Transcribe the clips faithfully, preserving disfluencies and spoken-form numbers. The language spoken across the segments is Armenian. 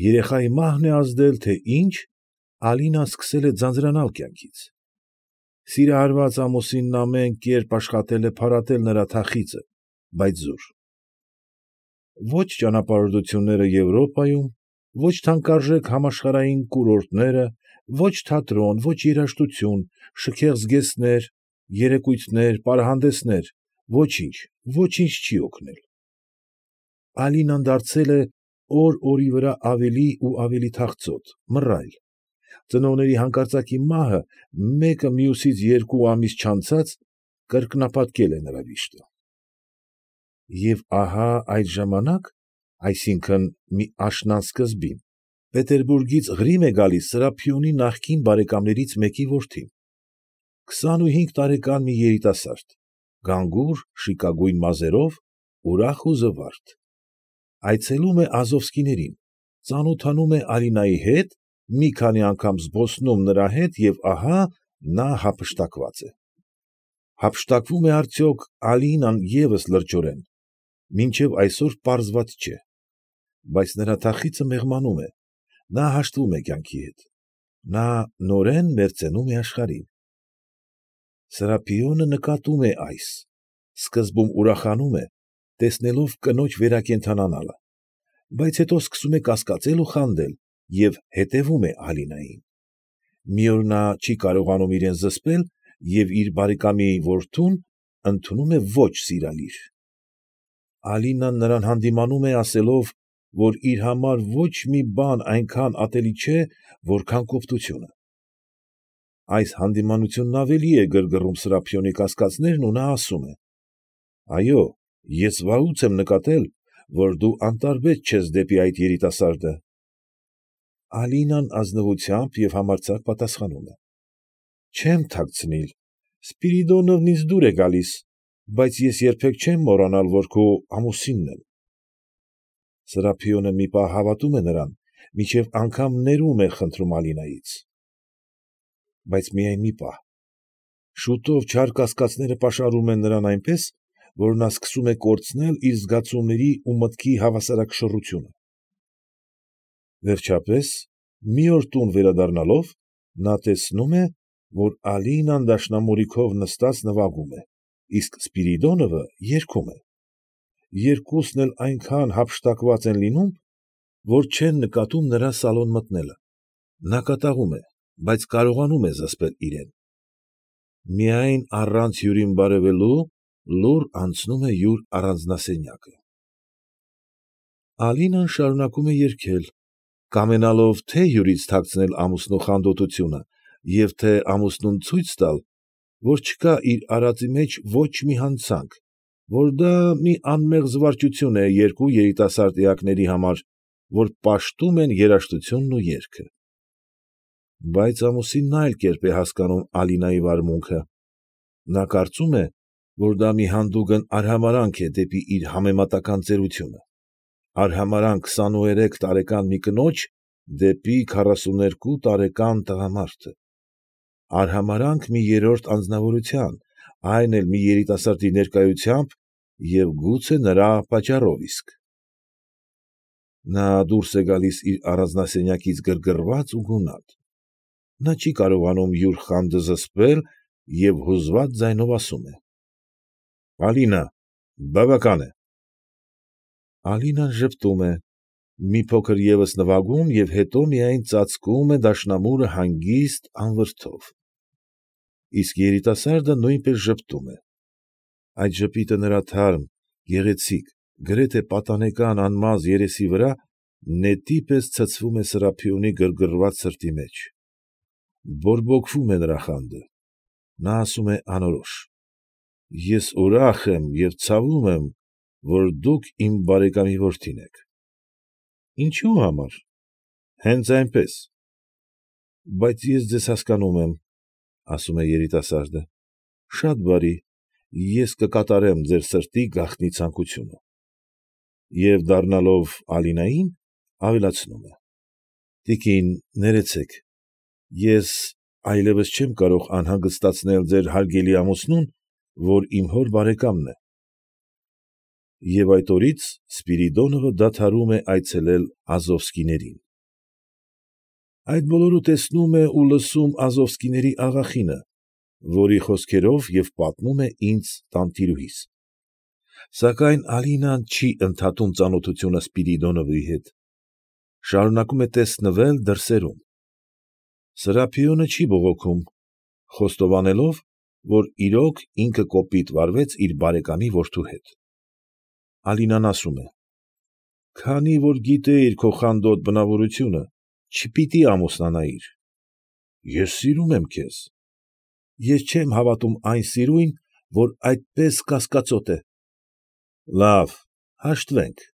Երեխայի մահն է ազդել, թե ինչ, Ալինան սկսել է ձանձրանալ կյանքից. սիրահարված ամուսինն ամեն կերպ աշխատել է փարատել նրա թախիծը, բայց զուր։ Ո՛չ ճանապարհորդությունները Եվրոպայում, ո՛չ թանկարժեք համաշխարհային կուրորտները, ո՛չ թատրոն, ո՛չ երաժշտություն, շքեղ զգեստներ, երեկույթներ, պարանհանդեսներ, ոչինչ, ոչինչ չի օգնել։ Ալինան դարձել է օր֊օրի վրա ավելի ու ավելի թախծոտ, մռայլ, ծնողների հանկարծակի մահը մեկը մյուսից երկու ամիս չանցած կրկնապատկել է նրա վիշտը։ Եվ ահա այդ ժամանակ, այսինքն՝ մի աշնան սկզբին, Պետերբուբգից Ղրիմ է գալիս Սրափիոնի նախկին բարեկամներից մեկի որդին, քսանուհինգ տարեկան մի երիտասարդ, գանգուր, շիկագույն մազերով, ուրախ ու զվարթ, այցելում է Ազովսկիներին, ծանոթանում է Ալինայի հետ, մի քանի անգամ զբոսնում նրա հետ և ահա նա հափշտակված է։ Հափշտակվո՞ւմ է արդյոք Ալինան ևս լրջորեն, մինչև այսօր պարզված չէ, բայց նրա թախիծը մեղմանում է, նա հաշտվում է կյանքի հետ, նա նորեն մերձենում է աշխարհին։ Սրափիոնը նկատում է այս, սկզբում ուրախանում է, տեսնելով կնոջ վերակենդանանալը, բայց հետո սկսում է կասկածել ու խանդել և հետևում է Ալինային։ Մի օր նա չի կարողանում իրեն զսպել և իր բարեկամի որդուն ընդունում է ոչ սիրալիր։ Ալինան նրան հանդիմանում է, ասելով, որ իր համար ոչ մի բան այնքան ատելի չէ, որքան կոպտությունը։ Այս հանդիմանությունն ավելի է գրգռում Սրափիոնի կասկածներն ու նա ասում է. ֊ Այո, ես վաղուց եմ նկատել, որ դու անտարբեր չես դեպի այդ երիտասարդը։ Ալինան ազնվությամբ և համարձակ պատասխանում է. ֊ Չեմ թաքցնիլ, Սպիրիդոնովն ինձ դուր է գալիս, բայց ես երբեք չեմ մոռանալ, որ քո ամուսինն եմ։ Սրափիոնը մի պահ հավատում է նրան, մինչև անգամ ներումն է խնդրում Ալինայից։ Բայց միայն մի պահ. շուտով չար կասկածները պաշարում են նրան այնպես, որ նա սկսում է կորցնել իր զգացումների ու մտքի հավասարակշռությունը։ Վերջապես, մի օր տուն վերադառնալով, նա տեսնում է, որ Ալինան դաշնամուրիքով նստած նվագում է, իսկ Սպիրիդոնովը երգում է։ Երկուսն էլ այնքան հափշտակված են լինում, որ չեն նկատում նրա սալոն մտնելը։ Նա կատաղում է, բայց կարողանում է զսպել իրեն։ Միայն առանց հյուրին բարևելու, լուռ անցնում է յուր առանձնասենյակը։ Ալինան շարունակում է երգել, կամենալով թե՛ հյուրից թաքցնել ամուսնու խանդոտությունը և թե՛ ամուսնուն ցույց տալ, որ չկա իր արածի մեջ ոչ մի հանցանք, որ դա մի անմեղ զվարճություն է երկու երիտասարդ էակների համար, որ պաշտում են երաժշտությունն ու երգը։ Բայց ամուսինն այլ կերպ է հասկանում Ալինայի վարմունքը։ Նա կարծում է, որ դա մի հանդուգն արհամարհանք է դեպի իր համեմատական ծերությունը, արհամարհանք քսանուերեք տարեկան մի կնոջ դեպի քառասուներկու տարեկան տղամարդը, արհամարհանք մի երրորդ անձնավորության, այն էլ մի երիտասարդի ներկայությամբ և գուցե նրա պատճառով իսկ։ Նա դուրս է գալիս իր առանձնասենյակից գրգռված ու գունատ։ Նա չի կարողանում յուր խանդը զսպել և հուզված ձայնով ասում է. ֊ Ալինա, բավական է։ Ալինան ժպտում է, մի փոքր ևս նվագում և հետո միայն ծածկում է դաշնամուրը հանգիստ անվրդով։ Իսկ երիտասարդը նույնպես ժպտում է։ Այդ ժպիտը նրա թարմ, գեղեցիկ, գրեթե պատանեկան անմազ երեսի վրա նետի պես ցցվում է Սրափիոնի գրգռված սրտի մեջ։ Բորբոքվում է նրա խանդը։ Նա ասում է անորոշ. ֊ Ես ուրախ եմ և ցավում եմ, որ դուք իմ բարեկամի որդին եք։ ֊ Ինչո՞ւ համար։ ֊ Հենց այնպես։ ֊ Բայց ես ձեզ հասկանում եմ, ֊ ասում է երիտասարդը, ֊ շատ բարի, ես կկատարեմ ձեր սրտի գաղտնի ցանկությունը։ Եվ դառնալով Ալինային, ավելացնում է. ֊ Տիկին, ներեցեք, ես այլևս չեմ կարող անհանգստացնել ձեր հարգելի ամուսնուն, որ իմ հոր բարեկամն է։ Եվ այդ օրից Սպիրիդոնովը դադարում է այցելել Ազովսկիներին։ Այդ բոլորը տեսնում է ու լսում Ազովսկիների աղախինը, որի խոսքերով և պատմում է ինձ տանտիրուհիս։ Սակայն Ալինան չի ընդհատում ծանոթությունը Սպիրիդոնովի հետ, շարունակում է տեսնվել դրսերում։ Սրափիոնը չի բողոքում, խոստովանելով, որ իրոք ինքը կոպիտ վարվեց իր բարեկամի որդու հետ։ Ալինան ասում է. «Քանի որ գիտեիր քո խանդոտ բնավորությունը, չպիտի ամուսնանայիր։ Ես սիրում եմ քեզ։ Ես չեմ հավատում այն սիրույն, որ այդպես կասկածոտ է։ Լավ, հաշտվենք։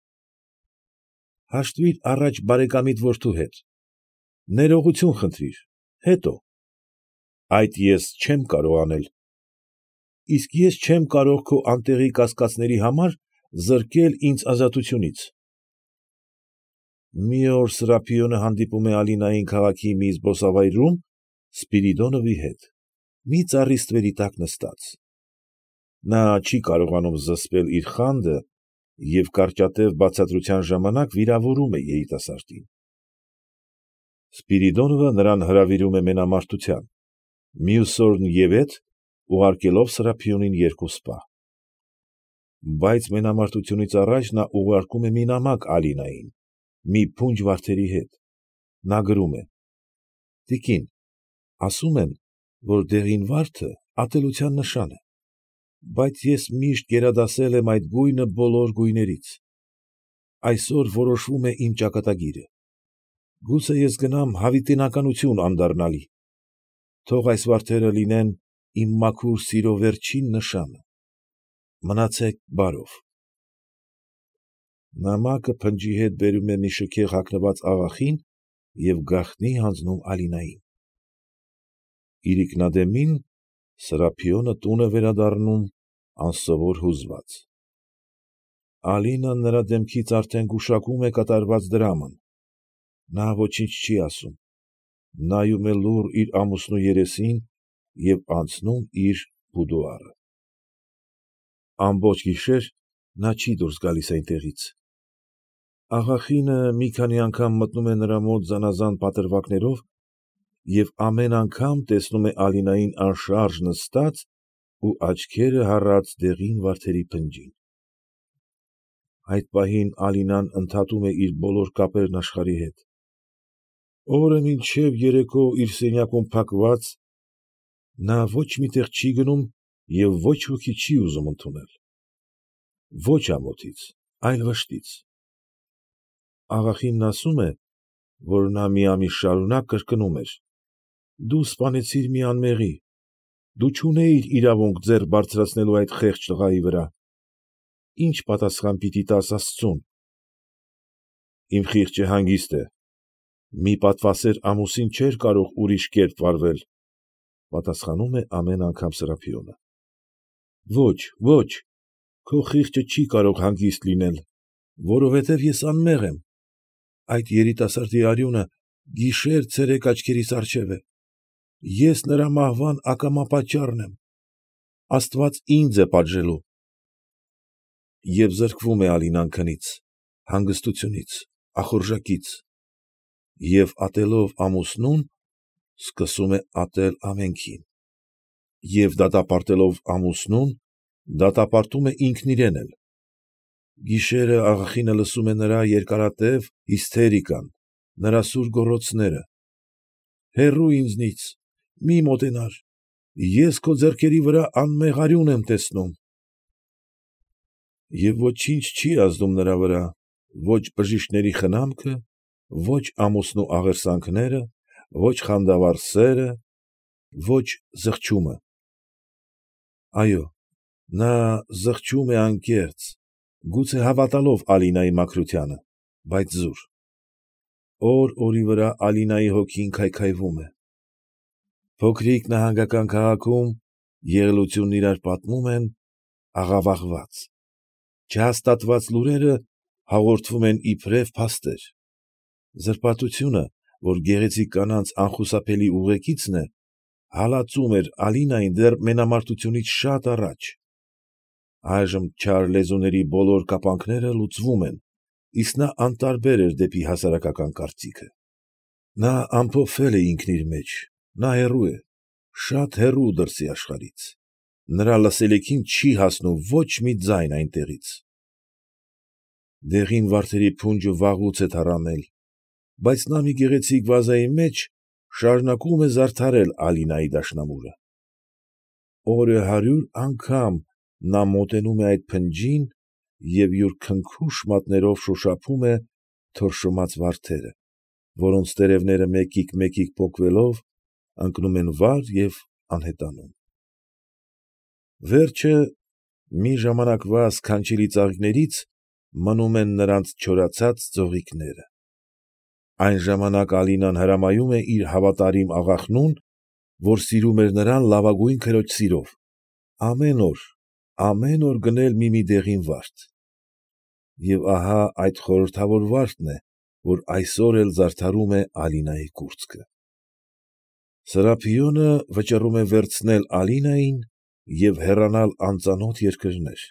Հաշտվիր առաջ բարեկամիդ որդու հետ, ներողություն խնդրիր, հետո։ Այդ ես չեմ կարող անել։ Իսկ ես չեմ կարող քո անտեղի կասկածների համար զրկել ինձ ազատությունից»։ Մի օր Սրափիոնը հանդիպում է Ալինային քաղաքի մի զբոսավայրում Սպիրիդոնովի հետ, մի ծառի ստվերի տակ նստած։ Նա չի կարողանում զսպել իր խանդը և կարճատև բացատրության ժամանակ վիրավորում է երիտասարդին։ Սպիրիդոնովը նրան հրավիրում է մենամարտության, մյուս օրն ևեթ ուղարկելով Սրափիոնին երկու սպա։ Բայց մենամարտությունից առաջ նա ուղարկում է մի նամակ Ալինային, մի փունջ վարդերի հետ։ Նա գրում է. «Տիկին, ասում են, որ դեղին վարդը ատելության նշան է, բայց ես միշտ գերադասել եմ այդ գույնը բոլոր գույներից։ Այսօր որոշվում է իմ ճակատագիրը։ Գուցե ես գնամ հավիտենականություն անդառնալի։ Թող այս վարդերը լինեն իմ մաքուր սիրո վերջին նշանը։ Մնացեք բարով»։ Նամակը փնջի հետ բերում է մի շքեղ հագնված աղախին և գաղտնի հանձնում Ալինային։ Իրիկնադեմին Սրափիոնը տուն է վերադառնում անսովոր հուզված։ Ալինան նրա դեմքից արդեն գուշակում է կատարված դրաման։ Նա ոչինչ չի ասում, նայում է լուռ իր ամուսնու երեսին և անցնում իր բուդուարը։ Ամբողջ գիշեր նա չի դուրս գալիս այնտեղից։ Աղախինը մի քանի անգամ մտնում է նրա մոտ զանաղան պատրվակներով և ամեն անգամ տեսնում է Ալինային անշարժ նստած ու աչքերը հառած դեղին վարդերի փնջին։ Այդ պահին Ալինան ընդհատում է իր բոլոր կապերն աշխարհի հետ։ Օրը մինչև երեկո իր սենյակում փակված, նա ոչ մի տեղ չի գնում և ոչ ոքի չի ուզում ընդունել։ Ոչ ամոթից, այլ վշտից։ Աղախինն ասում է, որ նա մի ամիս շարունակ կրկնում էր. «Դու սպանեցիր մի անմեղի, դու չունեիր իրավունք ձեռ բարձրացնելու այդ խեղճ տղայի վրա։ Ի՞նչ պատասխան պիտի տաս աստծուն»։ Իմ խիղճը հանգիստ է, մի պատվասեր ամուսին չէր կարող ուրիշ կերպ վարվել, պատասխանում է ամեն անգամ Սրափիոնը։ Ո՛չ, ո՛չ, քո խիղճը չի կարող հանգիստ լինել, որովհետև ես անմեղ եմ։ Այդ երիտասարդի արյունը գիշեր֊ցերեկ աչքերիս առջև է։ Ես նրա մահվան ակամա պատճառն եմ։ Աստված ինձ է պատժելու։ Եվ զրկվում է Ալինան քնից, հանգստությունից, ախորժակից և, ատելով ամուսնուն, սկսում է ատել ամենքին, և դատապարտելով ամուսնուն, դատապարտում է ինքն իրեն էլ։ Գիշերը աղախինը լսում է նրա երկարատև հիսթերիկան, նրա սուր գոռոցները. «Հեռո՛ւ ինձնից, մի մոտենար, ես քո ձեռքերի վրա անմեղ արյուն եմ տեսնում»։ Եվ ոչինչ չի ազդում նրա վրա, ո՛չ բժիշկների խնամքը, ո՛չ ամուսնու աղերսանքները, ո՛չ խանդավառ սերը, ո՛չ զղջումը։ Այո, նա զղջում է անկեղծ, գուցե հավատալով Ալինայի մաքրությանը, բայց զուր։ Օր֊օրի վրա Ալինայի հոգին քայքայվում է։ Փոքրիկ նահանգական քաղաքում եղելությունն իրար պատմում են աղավաղված։ Չհաստատված լուրերը հաղորդվում են իբրև փաստեր։ Զրպարտությունը, որ գեղեցիկ կանանց անխուսափելի ուղեկիցն է, հալածում էր Ալինային դեռ մենամարտությունից շատ առաջ։ Այժմ չար լեզուների բոլոր կապանքները լուծվում են, իսկ նա անտարբեր էր դեպի հասարակական կարծիքը։ Նա ամփոփվել է ինքն իր մեջ, նա հեռու է, շատ հեռու դրսի աշխարհից, նրա լսելիքին չի հասնում ոչ մի ձայն այնտեղից։ Դեղին վարդերի փունջը վաղուց է թառամել, բայց նա մի գեղեցիկ վազայի մեջ շարունակում է զարդարել Ալինայի դաշնամուրը։ Օրը հարյուր անգամ նա մոտենում է այդ փնջին և յուր քնքուշ մատներով շոշափում է թորշոմած վարդերը, որոնց տերևները մեկիկ֊մեկիկ պոկվելով ընկնում են վար և անհետանում։ Վերջը, մի ժամանակվա սքանչելի ծաղիկներից մնում են նրանց չորացած ձողիկները։ Այն ժամանակ Ալինան հրամայում է իր հավատարիմ աղախնուն, որ սիրում էր նրան լավագույն քրոջ սիրով, ամեն օր, ամեն օր գնել մի֊մի դեղին վարդ։ Եվ ահա այդ խորհրդավոր վարդն է, որ այսօր էլ զարդարում է Ալինայի կուրծքը։ Սրափիոնը վճռում է վերցնել Ալինային և հեռանալ անծանոթ երկրներ։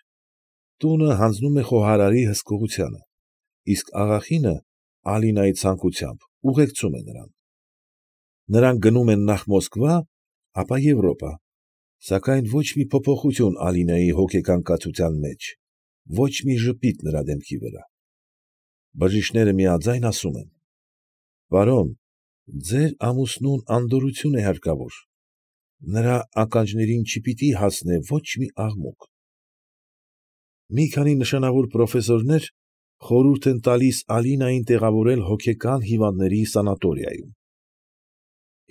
Տունը հանձնում է խոհարարի հսկողությանը, իսկ աղախինը Ալինայի ցանկությամբ ուղեկցում է նրան։ Նրանք գնում են նախ Մոսկվա, ապա Եվրոպա, սակայն ոչ մի փոփոխություն Ալինայի հոգեկան կացության մեջ, ոչ մի ժպիտ նրա դեմքի վրա։ Բժիշկները միաձայն ասում են. «Պարոն, ձեր ամուսնուն անդորրություն է հարկավոր, նրա ականջներին չպիտի հասնե ոչ մի աղմուկ»։ Մի քանի նշանավոր պրոֆեսորներ խորհուրդ են տալիս Ալինային տեղավորել հոգեկան հիվանդների սանատորիայում։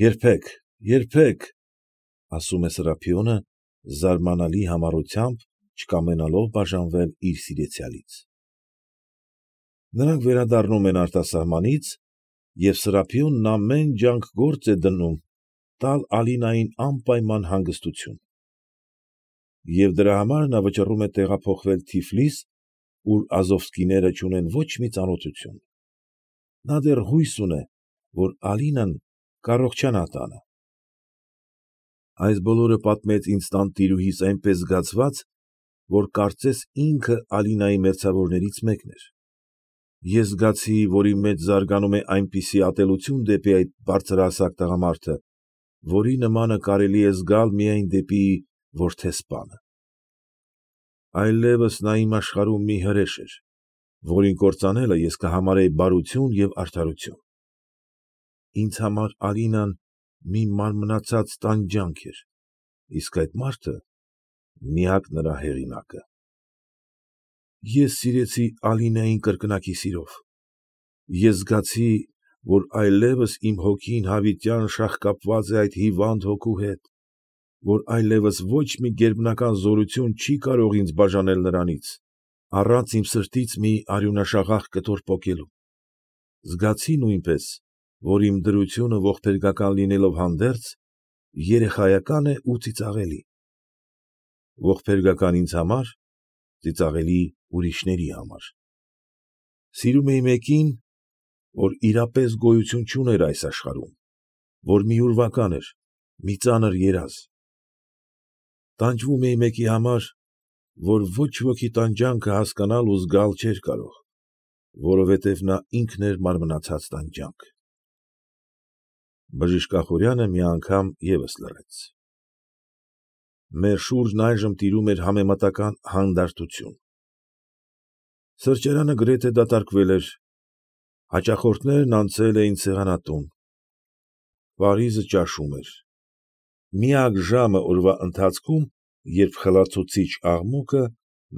«Երբեք, երբեք», ֊ ասում է Սրափիոնը, զարմանալի համառությամբ, չկամենալով բաժանվել իր սիրեցյալից։ Նրանք վերադառնում են արտասահմանից, և Սրափիոնն ամեն ջանք գործ է դնում տալ Ալինային անպայման հանգստություն։ Եվ դրա համար նա վճռում է տեղափոխվել Թիֆլիս, ուր Ազովսկիները չունեն ոչ մի ծանոթություն։ Նա դեռ հույս ունե, որ Ալինան կառողջանա տանը։ Այս բոլորը պատմեց ինձ տանտիրուհիս այնպես զգացված, որ կարծես ինքը Ալինայի մերձավորներից մեկն էր։ Ես զգացի, որ իմ մեջ զարգանում է այնպիսի ատելություն դեպի այդ բարձրահասակ տղամարդը, որի նմանը կարելի է զգալ միայն դեպի որդեսպանը։ Այլևս նա իմ աշխարհում մի հրեշ էր, որին կործանելը ես կհամարեի բարություն և արդարություն։ Ինձ համար Ալինան մի մարմնացած տանջանք էր, իսկ այդ մարդը միակ նրա հեղինակը։ Ես սիրեցի Ալինային կրկնակի սիրով։ Ես զգացի, որ այլևս իմ հոգին հավիտյան շաղկապված է այդ հիվանդ հոգու հետ, որ այլևս ոչ մի գերբնական զորություն չի կարող ինձ բաժանել նրանից, առանց իմ սրտից մի արյունաշաղախ կտոր պոկելու։ Զգացի նույնպես, որ իմ դրությունը ողբերգական լինելով հանդերձ, երեխայական է ու ծիծաղելի։ Ողբերգական ինձ համար, ծիծաղելի ուրիշների համար։ Սիրում էի մեկին, որ իրապես գոյություն չուներ այս աշխարհում, որ մի ուրվական էր, մի ծանր երազ։ Տանջվում էի մեկի համար, որ ոչ ոքի տանջանքը հասկանալ ու զգալ չէր կարող, որովհետև նա ինքն էր մարմնացած տանջանք։ Բժիշկ Ախուրյանը մի անգամ ևս լռեց։ Մեր շուրջն այժմ տիրում էր համեմատական հանդարտություն։ Սրճարանը գրեթե դատարկվել էր, հաճախորդներն անցել էին սեղանատուն։ Պարիզը ճաշում էր։ Միակ ժամը օրվա ընթացքում, երբ խլացուցիչ աղմուկը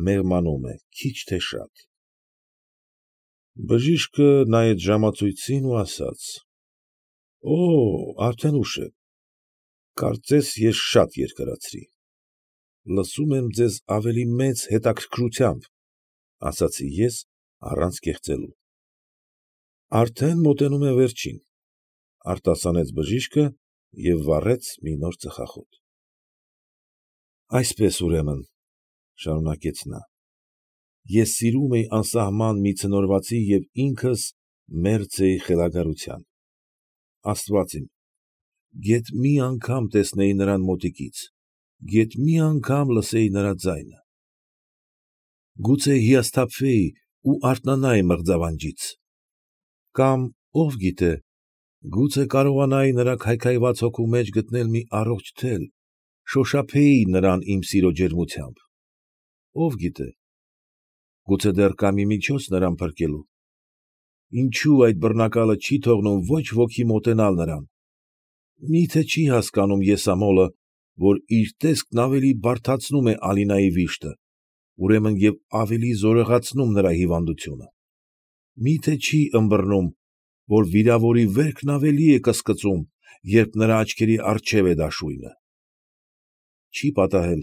մեղմանում է քիչ թե շատ։ Բժիշկը նայեց ժամացույցին ու ասաց. «Օօ, արդեն ուշ է, կարծես ես շատ երկարացրի։ Լսում եմ ձեզ ավելի մեծ հետաքրքրությամբ, ֊ ասացի ես առանց կեղծելու։ ֊ Արդեն մոտենում եմ վերջին, ֊ արտասանեց բժիշկը և վառեց մի նոր ծխախոտ։ ֊ Այսպես, ուրեմն, ֊ շարունակեց նա, ֊ ես սիրում էի անսահման մի ցնորվածի և ինքս մերձ էի խելագարության։ Աստված իմ, գեթ մի անգամ տեսնեի նրան մոտիկից, գեթ մի անգամ լսեի նրա ձայնը։ Գուցե հիասթափվեի ու արթնանայի մղձավանջից։ Կամ, ով գիտե, Գուցե կարողանայի նրա քայքայված հոգու մեջ գտնել մի առողջ թել, շոշափեի նրան իմ սիրո ջերմությամբ։ Ով գիտե, գուցե դեռ կա մի միջոց նրան փրկելու։ Ինչո՞ւ այդ բռնակալը չի թողնում ոչ ոքի մոտենալ նրան։ Մի՞թե չի հասկանում եսամոլը, որ իր տեսքն ավելի բարդացնում է Ալինայի վիշտը, ուրեմն և ավելի զորեղացնում նրա հիվանդությունը։ Մի՞թե չի ըմբռնում, որ վիրավորի վերքն ավելի է կսկծում, երբ նրա աչքերի առջև է դաշույնը։ Չի պատահել,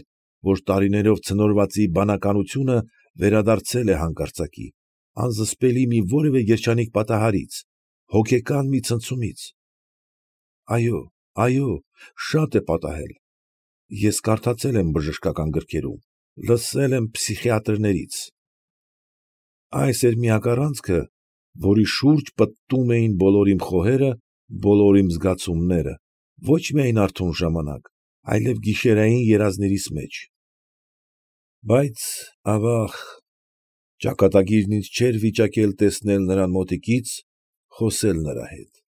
որ տարիներով ցնորվածի բանականությունը վերադարձել է հանկարծակի, անզսպելի մի որևէ երջանիկ պատահարից, հոգեկան մի ցնցումից։ Այո՛, այո՛, շատ է պատահել, ես կարդացել եմ բժշկական գրքերում, լսել եմ փսիխիատրներից։ Այս էր միակ առանցքը, որի շուրջ պտտում էին բոլոր իմ խոհերը, բոլոր իմ զգացումները, ոչ միայն արթուն ժամանակ, այլև գիշերային երազներիս մեջ։ Բայց, ավաղ, ճակատագիրն ինձ չէր վիճակել տեսնել նրան մոտիկից, խոսել նրա հետ։